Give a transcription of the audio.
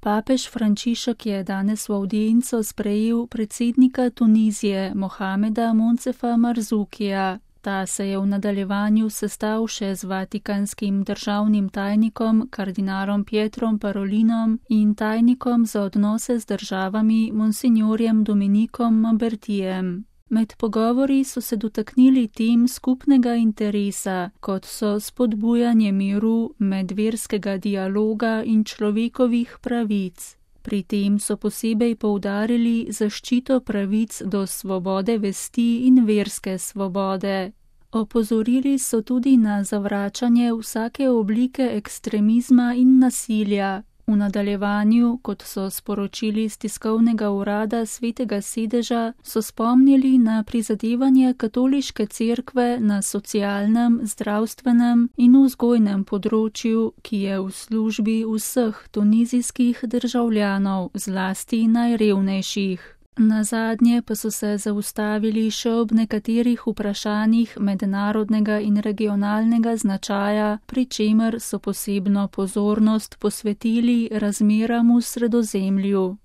Papež Frančišek je danes v avdienco sprejel predsednika Tunizije Mohameda Moncefa Marzukija. Ta se je v nadaljevanju sestal še z vatikanskim državnim tajnikom kardinalom Pietrom Parolinom in tajnikom za odnose z državami monsignorjem Dominikom Mabertijem. Med pogovori so se dotaknili tem skupnega interesa, kot so spodbujanje miru, medverskega dialoga in človekovih pravic. Pri tem so posebej poudarili zaščito pravic do svobode vesti in verske svobode. Opozorili so tudi na zavračanje vsake oblike ekstremizma in nasilja. V nadaljevanju, kot so sporočili z tiskovnega urada Svetega sedeža, so spomnili na prizadevanje katoliške cerkve na socialnem, zdravstvenem in vzgojnem področju, ki je v službi vseh tunizijskih državljanov, zlasti najrevnejših. Nazadnje pa so se zaustavili še ob nekaterih vprašanjih mednarodnega in regionalnega značaja, pri čemer so posebno pozornost posvetili razmeram v Sredozemlju.